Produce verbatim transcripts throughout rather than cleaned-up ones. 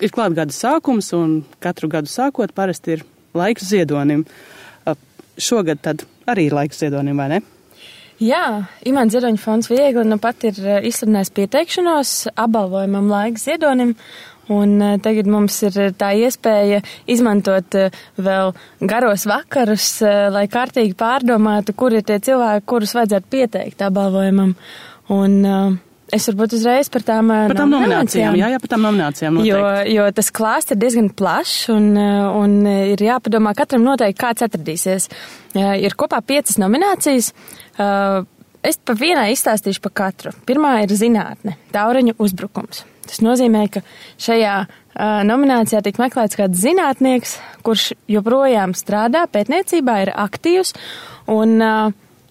ir klāt gada sākums, un katru gadu sākot parasti ir laiks ziedonim. Šogad tad arī ir laiks ziedonim, vai ne? Jā, Imants Ziedoņa fonds Viegli nu pat ir izsludinājis pieteikšanos apbalvojumam laiks ziedonim, un tagad mums ir tā iespēja izmantot vēl garos vakarus, lai kārtīgi pārdomātu, kur ir tie cilvēki, kurus vajadzētu pieteikt apbalvojumam. Un es varbūt uzreiz par tām, par tām nominācijām. Jā, jā, par tām nominācijām noteikti. Jo, jo tas klāsts ir diezgan plašs un, un ir jāpadomā katram noteikti, kāds atradīsies. Ir kopā piecas nominācijas. Es pa vienai izstāstīšu pa katru. Pirmā ir zinātne, Taureņu uzbrukums. Tas nozīmē, ka šajā nominācijā tiek meklēts kāds zinātnieks, kurš joprojām strādā pētniecībā, ir aktīvs un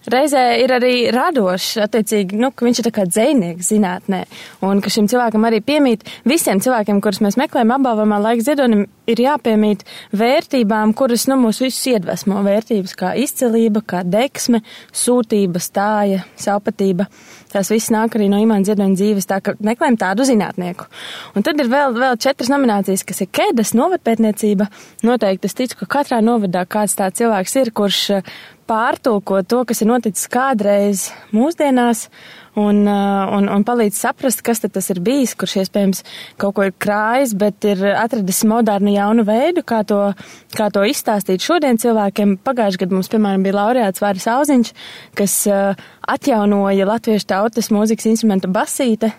reizē ir arī radošs, attiecīgi, nu, ka viņš ir tā kā dzejnieks zinātnē, un ka šim cilvēkam arī piemīt, visiem cilvēkiem, kurus mēs meklējam apbalvojumā laiks ziedonim, ir jāpiemīt vērtībām, kuras, nu, mūs visus iedvesmo, vērtības kā izcilība, kā deksme, sūtība, stāja, savpatība. Tās viss nāk arī no Imanta Ziedoņa dzīves, tā ka meklējam tādu zinātnieku. Un tad ir vēl, vēl četras nominācijas, kas ir Kedas novadpētniecība. Noteikti es ticu, ka katrā novadā kāds tāds cilvēks ir, kurš pārtulko to, kas ir noticis kādreiz mūsdienās, un, un, un palīdz saprast, kas tad tas ir bijis, kurš iespējams kaut ko ir krājis, bet ir atradis modernu jaunu veidu, kā to, kā to izstāstīt šodien cilvēkiem. Pagājušajā gadā mums, piemēram, bija laureāts Vāris Auziņš, kas atjaunoja latviešu tautas mūzikas instrumentu basīte,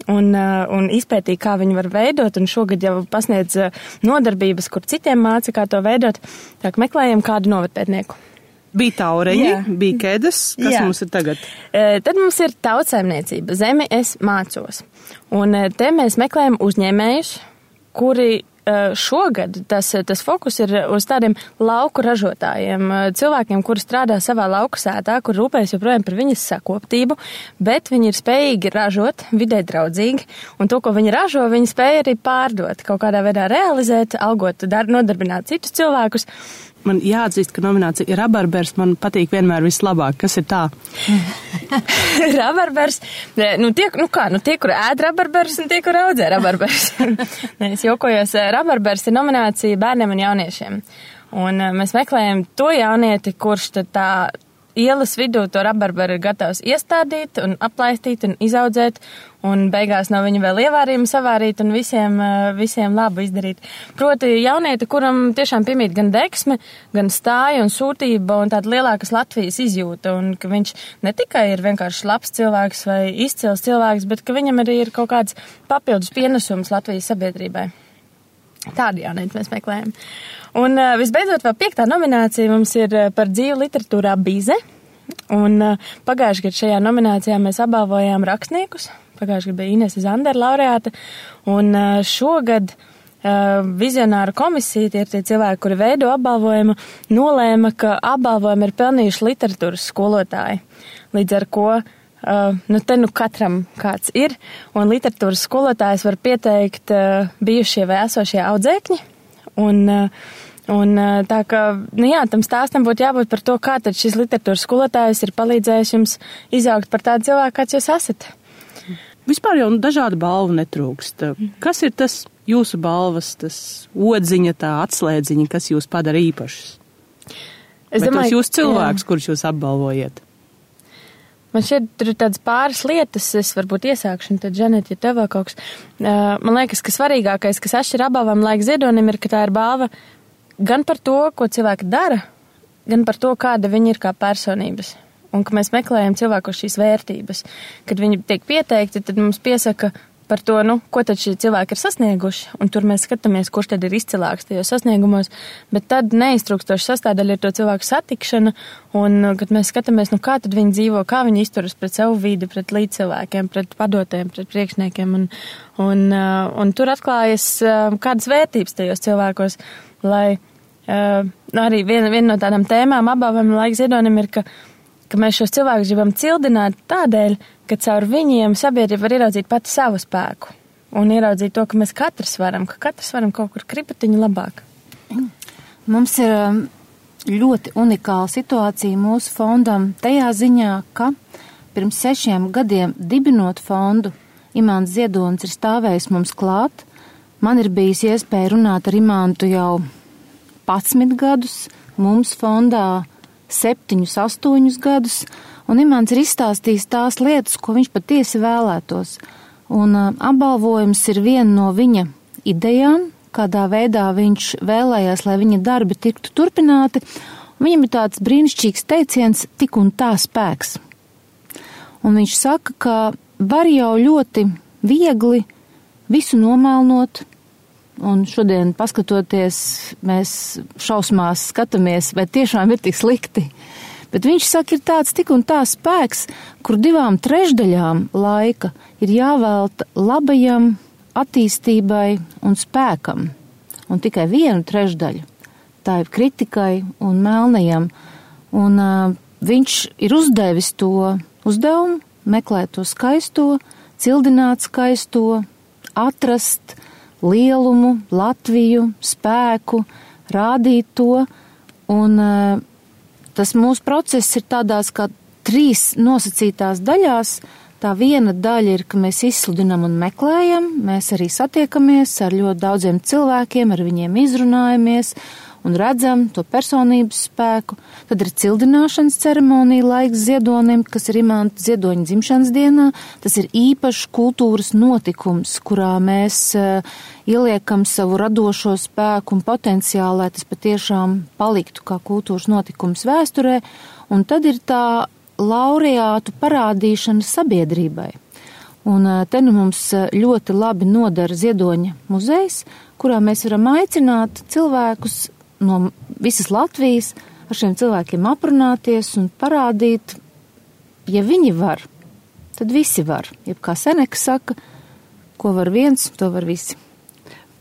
un, un izpētīja, kā viņu var veidot, un šogad jau pasniedz nodarbības, kur citiem māca, kā to veidot. Tā kā meklējam kādu novadpētnieku. Bija Taureņi, jā. Bija Kedas, kas jā. Mums ir tagad? E, tad mums ir tautsaimniecība, Zemi es mācos. Un te mēs meklējam uzņēmējus, kuri šogad tas, tas fokus ir uz tādiem lauku ražotājiem, cilvēkiem, kuri strādā savā lauku sētā, kur rūpējas joprojām par viņas sakoptību, bet viņi ir spējīgi ražot vidē draudzīgi, un to, ko viņi ražo, viņi spēja arī pārdot, kaut kādā veidā realizēt, algot, dar, nodarbināt citus cilvēkus. Man jāatzīst, ka nominācija ir rabarbers, man patīk vienmēr vislabāk. Kas ir tā? Rabarbers, nu tie, nu kā, nu tie, kur ēd rabarbers un tie, kur audzē rabarbers. Es jokojos, rabarbers ir nominācija bērniem un jauniešiem. Un mēs meklējam to jaunieti, kurš tad tā ielas vidū to rabarberu ir gatavs iestādīt un aplaistīt un izaudzēt, un beigās no viņa vēl ievārījumu savārīt un visiem, visiem labu izdarīt. Proti jaunieti, kuram tiešām piemīt gan deksme, gan stāja un sūtība un tāda lielākas Latvijas izjūta, un ka viņš ne tikai ir vienkārši labs cilvēks vai izcils cilvēks, bet ka viņam arī ir kaut kāds papildus pienesums Latvijas sabiedrībai. Tādu jaunieti mēs meklējam. Un uh, visbeidzot vēl piektā nominācija mums ir par dzīvu literatūrā Bize. Un uh, pagājušajā gadā šajā nominācijā mēs apbalvojām rakstniekus. Pagājušajā gadā bija Inese Zandera laureāte. Un uh, šogad uh, vizionāru komisija, tie ir tie cilvēki, kuri veido apbalvojumu, nolēma, ka apbalvojumu ir pelnījuši literatūras skolotāji. Līdz ar ko Uh, nu te nu katram kāds ir, un literatūras skolotājs var pieteikt uh, bijušie vai esošie audzēkņi, un, uh, un uh, tā ka, nu jā, tam stāstam būtu jābūt par to, kā tad šis literatūras skolotājs ir palīdzējis jums izaugt par tādu cilvēku, kāds jūs esat. Vispār jau dažādu balvu netrūkst. Kas ir tas jūsu balvas, tas odziņa, tā atslēdziņa, kas jūs padara īpašus? Es Vai domāju, tos jūs cilvēks, jā. Kurus jūs apbalvojat? Man šeit tur ir tādas pāris lietas, es varbūt iesākšu, un tad, Žanet, ja tev vēl kaut kas. Man liekas, ka svarīgākais, kas atšķir apbalvam laika ziedonim, ir, ka tā ir balva gan par to, ko cilvēki dara, gan par to, kāda viņi ir kā personības. Un ka mēs meklējam cilvēku šīs vērtības. Kad viņi tiek pieteikti, tad mums piesaka par to, nu, ko tad šie cilvēki ir sasnieguši, un tur mēs skatāmies, kurš tad ir izcilāks tajos sasniegumos, bet tad neiztrūkstoši sastāvdaļa ir to cilvēku satikšana, un kad mēs skatāmies, nu, kā tad viņi dzīvo, kā viņi izturas pret savu vidi, pret līdzcilvēkiem, pret padotiem, pret priekšniekiem, un, un, un tur atklājas kādas vērtības tajos cilvēkos, lai arī viena, viena no tādām tēmām apbalvojuma laika ziedonim ir, ka ka mēs šos cilvēkus gribam cildināt tādēļ, ka caur viņiem sabiedrība var ieraudzīt pati savu spēku un ieraudzīt to, ka mēs katrs varam, ka katrs varam kaut kur kripatiņu labāk. Mums ir ļoti unikāla situācija mūsu fondam tajā ziņā, ka pirms sešiem gadiem dibinot fondu, Imants Ziedonis ir stāvējis mums klāt, Man ir bijis iespēja runāt ar Imantu jau padsmit gadus, mums fondā septiņus, astoņus gadus, un Imants ir izstāstījis tās lietas, ko viņš patiesi vēlētos. Un uh, apbalvojums ir viena no viņa idejām, kādā veidā viņš vēlējās, lai viņa darbi tiktu turpināti. Viņam ir tāds brīnišķīgs teiciens, tik un tā spēks. Un viņš saka, ka var jau ļoti viegli visu nomēlnot, un šodien paskatoties, mēs šausmās skatāmies, vai tiešām ir tik slikti. Bet viņš saka, ir tāds tik un tā spēks, kur divām trešdaļām laika ir jāvelta labajam attīstībai un spēkam, un tikai vienu trešdaļu tā ir kritikai un melnajam. Un uh, viņš ir uzdevis to uzdevumu, meklēt to skaisto, cildināt skaisto, atrast lielumu, Latviju, spēku, rādīt to, un uh, tas mūsu process ir tādās kā trīs nosacītās daļās. Tā viena daļa ir, ka mēs izsludinām un meklējam, mēs arī satiekamies ar ļoti daudziem cilvēkiem, ar viņiem izrunājamies un redzam to personības spēku. Tad ir cildināšanas ceremonija laiks ziedonim, kas ir Imanta Ziedoņa dzimšanas dienā. Tas ir īpašs kultūras notikums, kurā mēs uh, ieliekam savu radošo spēku un potenciālu, lai tas patiešām paliktu kā kultūras notikums vēsturē. Un tad ir tā laureātu parādīšana sabiedrībai. Un te nu mums ļoti labi nodara Ziedoņa muzejs, kurā mēs varam aicināt cilvēkus no visas Latvijas ar šiem cilvēkiem aprunāties un parādīt, ja viņi var, tad visi var. Jeb kā Seneka saka, ko var viens, to var visi.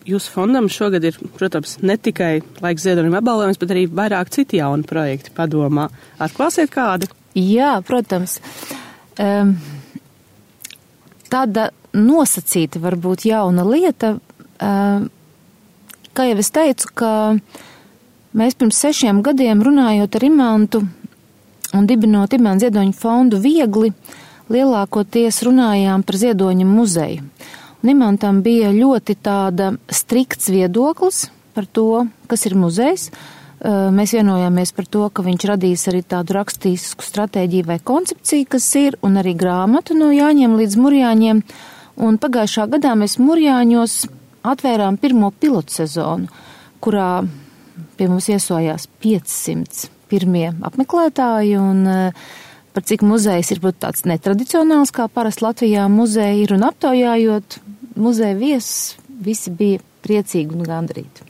Jūsu fondam šogad ir, protams, ne tikai laiks Ziedonim apbalvojums, bet arī vairāk citi jauni projekti padomā. Atklāsiet kādu? Jā, protams. Um, tāda nosacīta varbūt jauna lieta, um, kā jau es teicu, ka mēs pirms sešiem gadiem runājot ar Imantu un dibinot Imanta Ziedoņa fondu viegli, lielākoties runājām par Ziedoņa muzeju. Un Imantam bija ļoti tāda strikts viedoklis par to, kas ir muzejs. Mēs vienojāmies par to, ka viņš radīs arī tādu rakstīsku stratēģiju vai koncepciju, kas ir, un arī grāmatu no Jāņiem līdz Murjāņiem. Un pagājušā gadā mēs Murjāņos atvērām pirmo pilotu sezonu, kurā pie mums iesojās piecsimt pirmie apmeklētāji, un par cik muzejs ir tāds netradicionāls, kā parasti Latvijā muzeji ir, un aptaujājot muzeja viesus, visi bija priecīgi un gandarīti.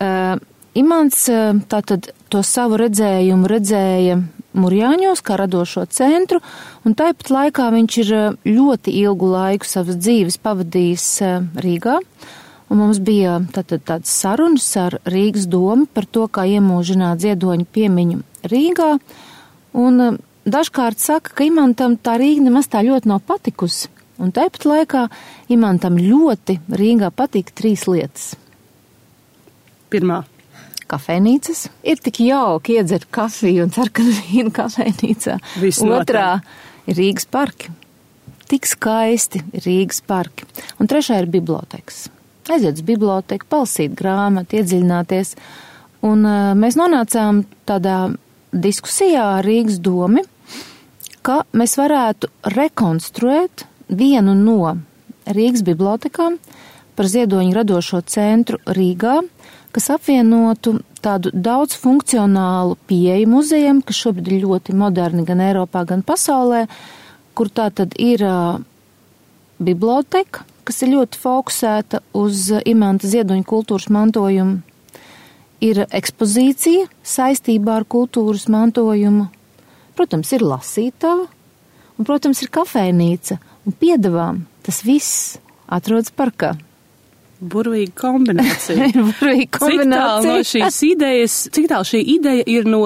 Uh, Imants tātad to savu redzējumu redzēja Murjāņos kā radošo centru, un tāpat laikā viņš ir ļoti ilgu laiku savas dzīves pavadījis Rīgā, un mums bija tātad tāds sarunas ar Rīgas domu par to, kā iemūžināt Ziedoņa piemiņu Rīgā, un dažkārt saka, ka Imantam tā Rīga nemaz tā ļoti nav patikusi, un tāpat laikā Imantam ļoti Rīgā patīk trīs lietas. Pirmā. Kafejnīcas. Ir tik jauki iedzert kafiju un sarkanu vīnu kafejnīcā. Otrā ir Rīgas parki. Tik skaisti ir Rīgas parki. Un trešā ir bibliotekas. Aiziet uz biblioteku, palasīt grāmatu, iedziļināties. Un uh, mēs nonācām tādā diskusijā ar Rīgas domi, ka mēs varētu rekonstruēt vienu no Rīgas bibliotekām par Ziedoņa radošo centru Rīgā, kas apvienotu tādu daudz funkcionālu pieeju muzejam, kas šobrīd ir ļoti moderni gan Eiropā, gan pasaulē, kur tā tad ir uh, biblioteka, kas ir ļoti fokusēta uz Imanta Ziedoņa kultūras mantojumu, ir ekspozīcija saistībā ar kultūras mantojumu, protams, ir lasītava, un, protams, ir kafejnīca, un piedevām tas viss atrodas parkā. Burvīga kombinācija. Burvīga kombinācija. Cik tālu no šīs idejas, cik tālu šī ideja ir no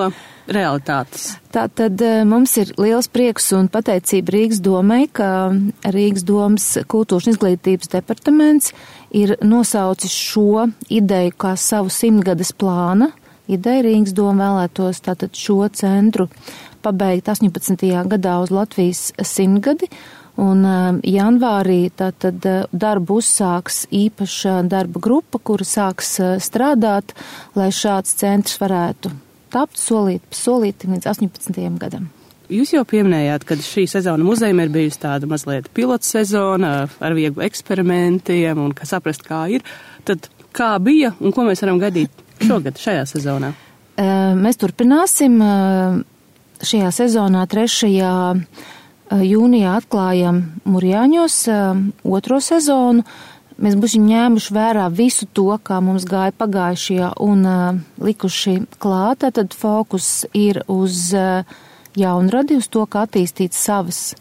realitātes? Tātad mums ir liels prieks un pateicība Rīgas domai, ka Rīgas domas kultūras un izglītības departaments ir nosaucis šo ideju kā savu simtgades plāna. Ideja Rīgas doma vēlētos tātad šo centru pabeigt astoņpadsmitajā gadā uz Latvijas simtgadi. Un janvārī tātad darbu uzsāks īpaša darba grupa, kura sāks strādāt, lai šāds centrs varētu tapt solīt pa solītim līdz astoņpadsmitajam gadam. Jūs jau pieminējāt, ka šī sezona muzejam ir bijusi tāda mazliet pilots sezona ar vieglu eksperimentiem un kā saprast, kā ir. Tad kā bija un ko mēs varam gaidīt šogad šajā sezonā? Mēs turpināsim. Šajā sezonā trešajā jūnijā atklājam Murjāņos otro sezonu. Mēs būsim ņēmuši vērā visu to, kā mums gāja pagājušajā un likuši klāt. Tad fokus ir uz jaunradi, uz to, kā attīstīt savas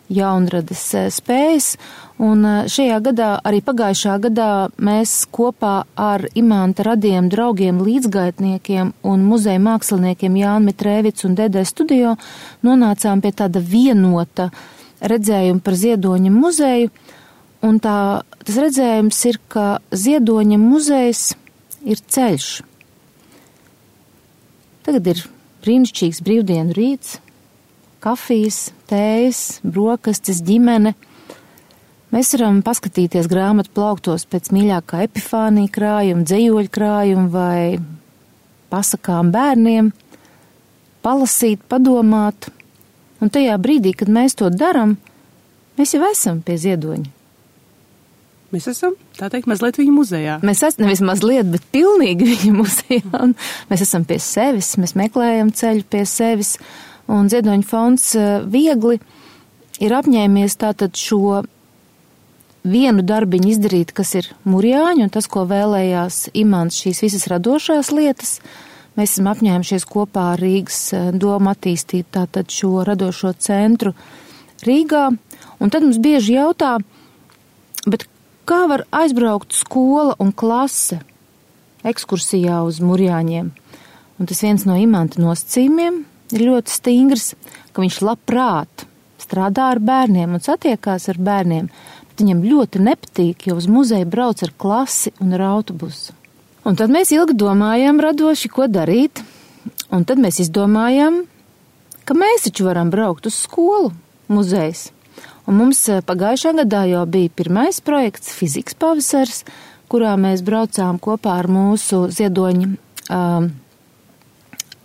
jaunrades spējas. Un šajā gadā, arī pagājušā gadā, mēs kopā ar Imanta radiem draugiem, līdzgaitniekiem un muzeja māksliniekiem Jānu Mitrēvicu un Dedē Studio nonācām pie tāda vienota redzējuma par Ziedoņa muzeju. Un tā, tas redzējums ir, ka Ziedoņa muzejs ir ceļš. Tagad ir brīnišķīgs brīvdienu rīts, kafijas, tējas, brokastis, ģimene. Mēs varam paskatīties grāmatu plauktos pēc mīļākā Epifānija krājuma, dzejoļu krājuma vai pasakām bērniem, palasīt, padomāt. Un tajā brīdī, kad mēs to daram, mēs jau esam pie Ziedoņa. Mēs esam, tā teikt, mazliet viņa muzejā. Mēs esam nevis mazliet, bet pilnīgi viņa muzejā. Un mēs esam pie sevis, mēs meklējam ceļu pie sevis. Un Ziedoņa fonds viegli ir apņēmies tātad šo vienu darbiņu izdarīt, kas ir Murjāņi, un tas, ko vēlējās Imants, šīs visas radošās lietas. Mēs esam apņēmušies kopā ar Rīgas domu attīstīt tātad šo radošo centru Rīgā. Un tad mums bieži jautā, bet kā var aizbraukt skola un klase ekskursijā uz Murjāņiem? Un tas viens no Imanta nosacījumiem ir ļoti stingrs, ka viņš labprāt strādā ar bērniem un satiekās ar bērniem, bet viņam ļoti nepatīk, jo uz muzeju brauc ar klasi un ar autobusu. Un tad mēs ilgi domājām radoši, ko darīt, un tad mēs izdomājām, ka mēs taču varam braukt uz skolu muzejs. Un mums pagājušā gadā jau bija pirmais projekts Fizikas pavasars, kurā mēs braucām kopā ar mūsu Ziedoņa, um,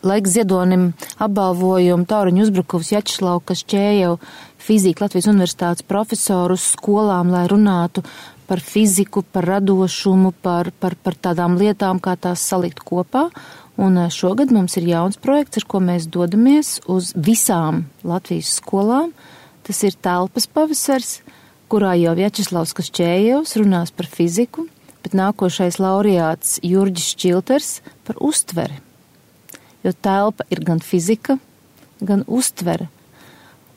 laiks Ziedonim apbalvojumu Tauriņu uzbrukuvs Jačeslau Kašķējevu fizika Latvijas universitātes profesoru uz skolām, lai runātu par fiziku, par radošumu, par, par, par tādām lietām, kā tās salikt kopā. Un šogad mums ir jauns projekts, ar ko mēs dodamies uz visām Latvijas skolām. Tas ir telpas pavasars, kurā jau Vjačeslavs Kašķējevs runās par fiziku, bet nākošais laureāts Jurģis Šķilters par uztveri. Jo telpa ir gan fizika, gan uztvere.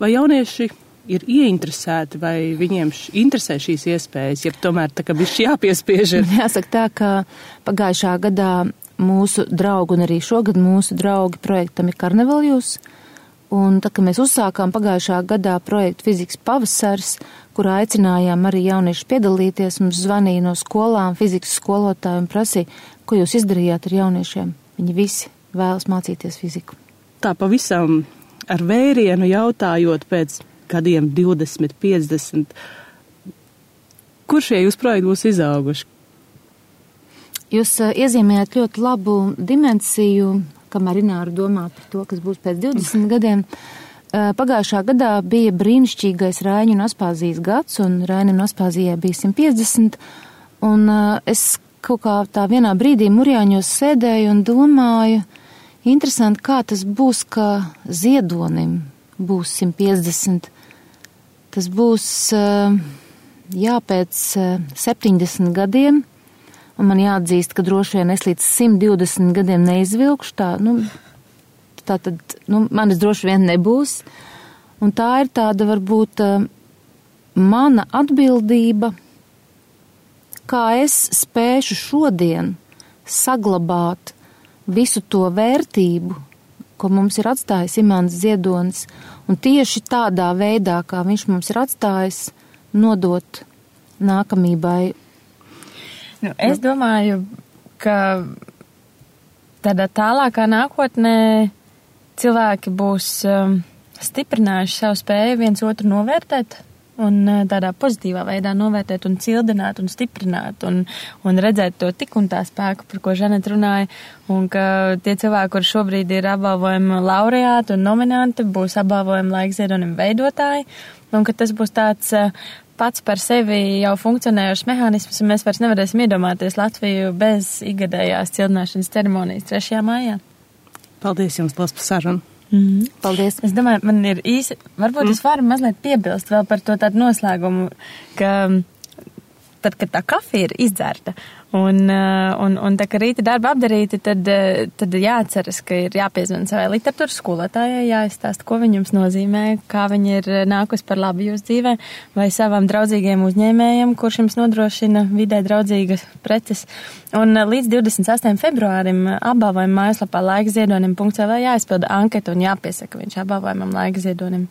Vai jaunieši ir ieinteresēti, vai viņiem š, interesē šīs iespējas, ja tomēr tā kā bišķi jāpiespiež? Jāsaka tā, ka pagājušā gadā mūsu draugi un arī šogad mūsu draugi projektam ir Karnevaljus. Un tā, ka mēs uzsākām pagājušā gadā projektu Fizikas pavasars, kurā aicinājām arī jaunieši piedalīties, mums zvanīja no skolām fizikas skolotāji un prasīja, ko jūs izdarījāt ar jauniešiem. Viņi visi vēlas mācīties fiziku. Tā pavisam ar vērienu jautājot pēc gadiem divdesmit, piecdesmit, kur šie jūs projekti būs izauguši? Jūs uh, iezīmējat ļoti labu dimensiju, kamēr Ināra domā par to, kas būs pēc divdesmit gadiem. Uh, pagājušā gadā bija brīnišķīgais Raiņu un Aspāzijas gads, un Raiņu un Aspāzijai bija simt piecdesmit, un uh, es kaut kā tā vienā brīdī Murjāņos sēdēju un domāju, interesanti, kā tas būs, ka Ziedonim būs simt piecdesmit. Tas būs, jā, pēc septiņdesmit gadiem, un man jāatzīst, ka droši vien es līdz simt divdesmit gadiem neizvilkšu tā, nu, tā tad, nu, manis droši vien nebūs. Un tā ir tāda, varbūt, mana atbildība, kā es spēšu šodien saglabāt visu to vērtību, ko mums ir atstājis Imants Ziedonis, un tieši tādā veidā, kā viņš mums ir atstājis, nodot nākamībai. Nu, es domāju, ka tādā tālākā nākotnē cilvēki būs um, stiprinājuši savu spēju viens otru novērtēt un tādā pozitīvā veidā novērtēt un cildināt un stiprināt un, un redzēt to tik un tā spēku, par ko Žanet runāja, un ka tie cilvēki, kur šobrīd ir apbalvojumi laureāti un nominanti, būs apbalvojumi laikziedonim veidotāji, un ka tas būs tāds pats par sevi jau funkcionējošs mehānisms, un mēs vairs nevarēsim iedomāties Latviju bez ikgadējās cildināšanas ceremonijas trešajā mājā. Paldies jums, Lās, par sarunu. Mm-hmm. Paldies. Es domāju, man ir īsi, varbūt mm. es varu mazliet piebilst vēl par to tādu noslēgumu, ka tad, kad tā kafija ir izdzerta un, un, un tā, ka rīta darba apdarīti, tad, tad jāatceras, ka ir jāpiezvan savai literatūras skolotājai, jāizstāst, ko viņums nozīmē, kā viņi ir nākus par labu jūs dzīvē, vai savam draudzīgiem uzņēmējiem, kurš jums nodrošina vidē draudzīgas preces. Un līdz divdesmit sastajam februārim apbalvojuma mājaslapā laikziedonim punkts el vē jāizpilda anketa un jāpiesaka viņš apbalvojumam laikziedonim,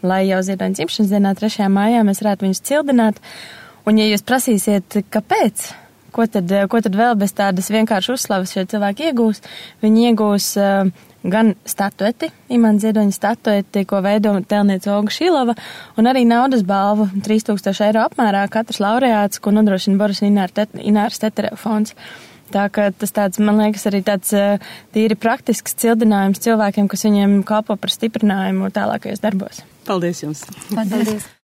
lai jau ziedoņa dzimšanas dienā trešajā mājā mēs varētu viņus cildināt. Un ja jūs prasīsiet, kāpēc, ko tad, ko tad vēl bez tādas vienkārši uzslavas šie cilvēki iegūs, viņi iegūs uh, gan statueti, Imants Ziedoņa statueti, ko veido tēlniece Olga Šilova, un arī naudas balvu trīs tūkstoši eiro apmērā katrs laureāts, ko nodrošina Boris Ināras Teterev fonds. Tā ka tas tāds, man liekas, arī tāds uh, tīri praktisks cildinājums cilvēkiem, kas viņiem kalpo par stiprinājumu tālākajos darbos. Paldies jums! Paldies!